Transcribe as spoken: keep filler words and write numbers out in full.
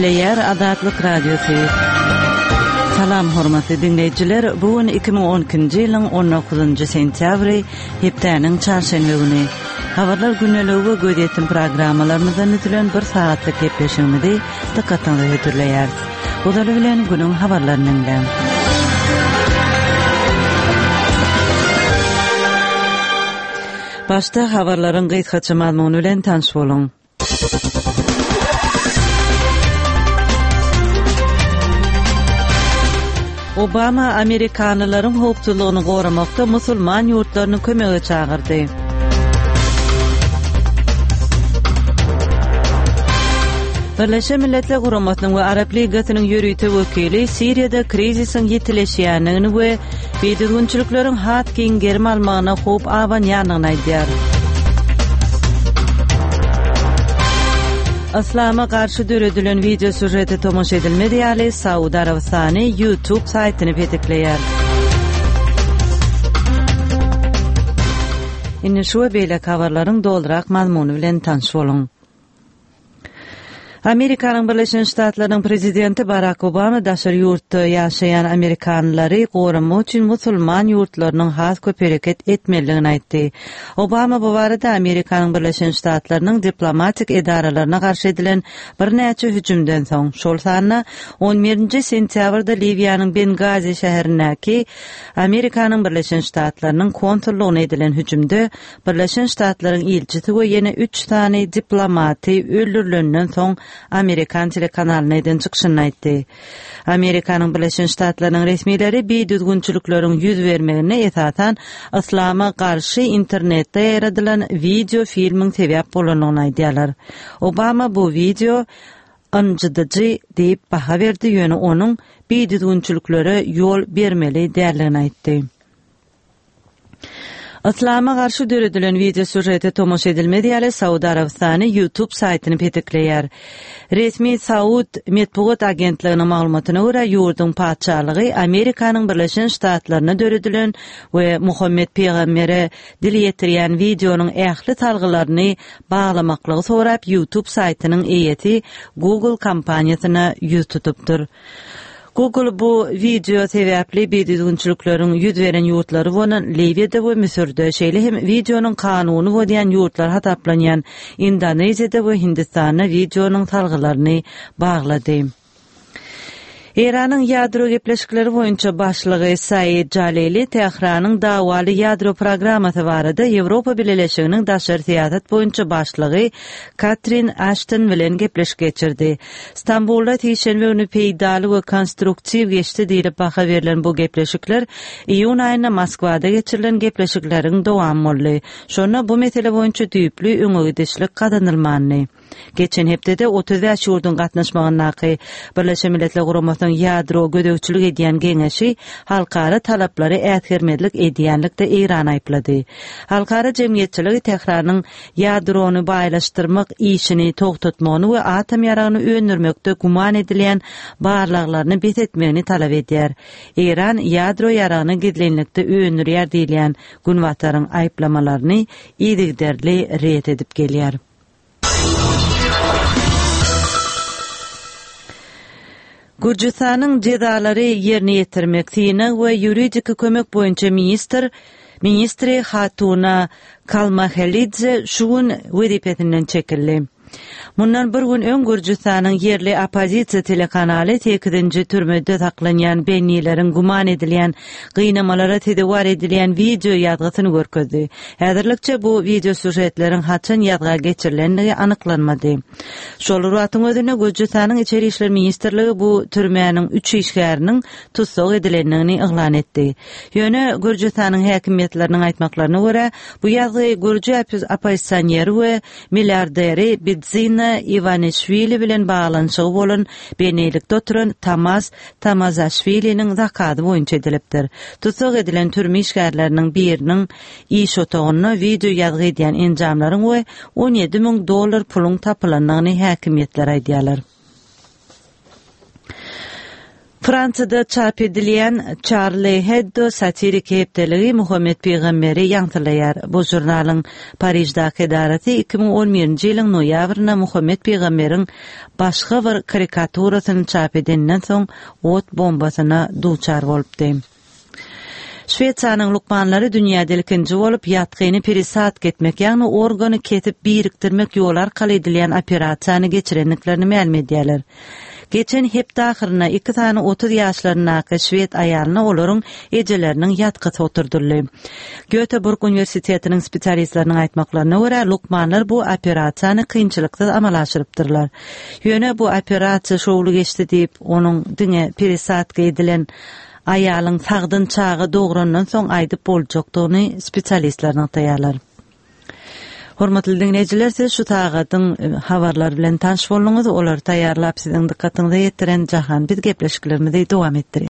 Gepleýär Azatlyk Radiosy. Salam hormatly dinleýjiler. Bu gün iki müň on ikinji ýylyň on dokuzynjy sentýabry, hepdäniň çarşenbe güni. Habarlar gündeligi we gözýetim programmalarymyzdan düzülen bir sagatlyk gepleşigimizi dykgatyňyza hödürleýäris. Ozaly bilen günüň habarlaryny diňläň. Başda habarlaryň gysgaça mazmuny bilen tanyş boluň. Obama amerikanlylaryň howpsuzlygyny goramakda musulman ýurtlaryny kömege çagyrdy. Birleşen Milletler Guramasynyň we Arap Ligasynyň ýörite wekili Siriýada krizisiň ýitileşýändigini we bidüzgünçilikleriň has giň gerim almagyna howp abanýandygyny aýdýar. Yslama garşy döredilen wideo sýužete tomaşa edilmez ýaly Saud Arabystany YouTube saýtyny petikleýär. Indi şu we beýleki habarlaryň dolurak mazmuny bilen tanyş boluň. Amerikanyň Birleşen Ştatlarynyň prezidenti Barak Obama daşary ýurtda ýaşaýan amerikanlylary goramak üçin musulman ýurtlarynyň has köp hereket etmelidigini aýtdy. Obama bu barada Amerikanyň Birleşen Ştatlarynyň diplomatik edaralaryna garşy edilen birnäçe hüjümden soň, şol sanda on birinji sentýabrda Liwiýanyň Bengazi şäherindäki Amerikanyň Birleşen Ştatlarynyň konsullygyna edilen hüjümde Birleşen Ştatlaryň ilçisi we ýene üç sany diplomaty öldürilenden soň Amerikan telekanalyna eden çykyşynda aýtdy. Amerikanyň Birleşen Ştatlarynyň resmileri bidüzgünçilikleriň ýüz bermegine esasan yslama garşy internetde ýaýradylan wideo filmiň sebäp bolandygyny aýdýarlar. Obama bu wideo ynjydyjy diýip baha berdi, ýöne onuň bidüzgünçiliklere ýol bermeli däldigini aýtdy. Yslama garşy döredilen wideo sýužete tomaşa edilmez ýaly Saud Arabystany YouTube saýtyny petikleýär. Resmi Saud metbugat agentliginiň maglumatyna görä, ýurduň patyşalygy Amerikanyň Birleşen Ştatlarynda döredilen we Muhammet pygambere dil ýetirýän wideonyň ähli salgylaryny baglamaklygy sorap YouTube saýtynyň eýesi Google kompaniýasyna ýüz tutupdyr. Google bu wideo sebäpli bidüzgünçilikleriň ýüz beren ýurtlary bolan Liwiýada we Müsürde, şeýle hem wideonyň kanuny bozýan ýurtlar hasaplanýan Indoneziýada we Hindistanda wideonyň salgylaryny baglady. Eýranyň ýadro gepleşikleri boýunça başlygy Said Jalili Tähranyň dawaly ýadro programmasy barada Ýewropa Bileleşiginiň daşary syýasat boýunça başlygy Katrin Aşton bilen gepleşik geçirdi. Stambulda sişenbe güni peýdaly we konstruktiw geçdi diýlip baha berlen bu gepleşikler iýun aýynda Moskwada geçirilen gepleşikleriň dowamy boldy. Şonda bu mesele boýunça düýpli öňe gidişlik gazanylmandy. Geçen hepdede otuz bäş ýurduň gatnaşmagyndaky Birleşen Milletler Guramasynyň ýadro gözegçilik edýän geňeşi halkara talaplary äsgermezlik edýänlikde Eýrany aýyplady. Halkara jemgyýetçiligi Tähranyň ýadrony baýlaşdyrmak işini togtatmagyny we atom ýaragyny öndürmekde güman edilýän barlaglaryny bes etmegini talap edýär. Eýran ýadro ýaragyny gizlinlikde öndürýär diýilýän Günbataryň aýyplamalaryny yzygiderli ret edip gelýär. Gürjüstanyň jezalary ýerine ýetirmek, synag we ýuridiki kömek boýunça ministr, ministri Hatuna Kalmahelidze şu gün wezipesinden çekildi. Mundan bir gün öň Gürjüstanyň ýerli oppozisiýa telekanaly sekizinji türmede saklanýan bennileriň güman edilýän gynamalara sezewar edilýän wideo ýazgysyny görkezdi. Häzirlikçe bu wideo sýužetleriň haçan ýazga geçirilendigi anyklanmady. Şol bir wagtyň özünde Gürjüstanyň Içeri işler ministrligi bu türmäniň üç işgäriniň tussag edilendigini yglan etdi. Ýöne Gürjüstanyň häkimiýetleriniň aýtmaklaryna görä, bu ýazgy gürji oppozisioneri we milliarderi Bidzina Iwanişwili bilen baglanyşygy bolan bennilikde oturan Tamaz Tamazaşwiliniň zakazy boýunça edilipdir. Tussag edilen türme işgärleriniň biriniň iş otagynda wideo ýazgy edýän enjamlaryň we on ýedi müň dollar puluň tapylandygyny häkimiýetler aýdýarlar. Fransiýada çap edilýän Charlie Hebdo satirik hepdeligi Muhammet pygamberi ýaňsylaýar. Bu žurnalyň Pariždäki edarasy iki müň on birinji ýylyň noýabrynda Muhammet pygamberiň başga bir karikaturasyny çap edeninden soň ot bombasyna duçar bolupdy. Şwesiýanyň lukmanlary dünýäde ilkinji bolup ýatgyny peresadka etmek, ýagny organy kesip birikdirmek ýoly arkaly edilýän operasiýany geçirendiklerini mälim edýärler. Geçen hepde ahyrynda iki sany otuz ýaşlaryndaky şwed aýalyna olaryň ejeleriniň ýatgysy oturdyldy. Göteborg uniwersitetiniň spesialistleriniň aýtmaklaryna görä, lukmanlar bu operasiýany kynçylyksyz amala aşyrypdyrlar. Ýöne bu operasiýa şowly geçdi diýip, onuň diňe peresadka edilen aýalyň sagdyn çaga dograndan soň aýdyp boljakdygyny spesialistler nygtaýarlar. Hormatly diňleýjiler, siz şu sagadyň habarlary bilen tanyş bolduňyz. Olary taýýarlap siziň dykgatyňyza ýetiren Jahan biz gepleşiklerimizi dowam etdirýär.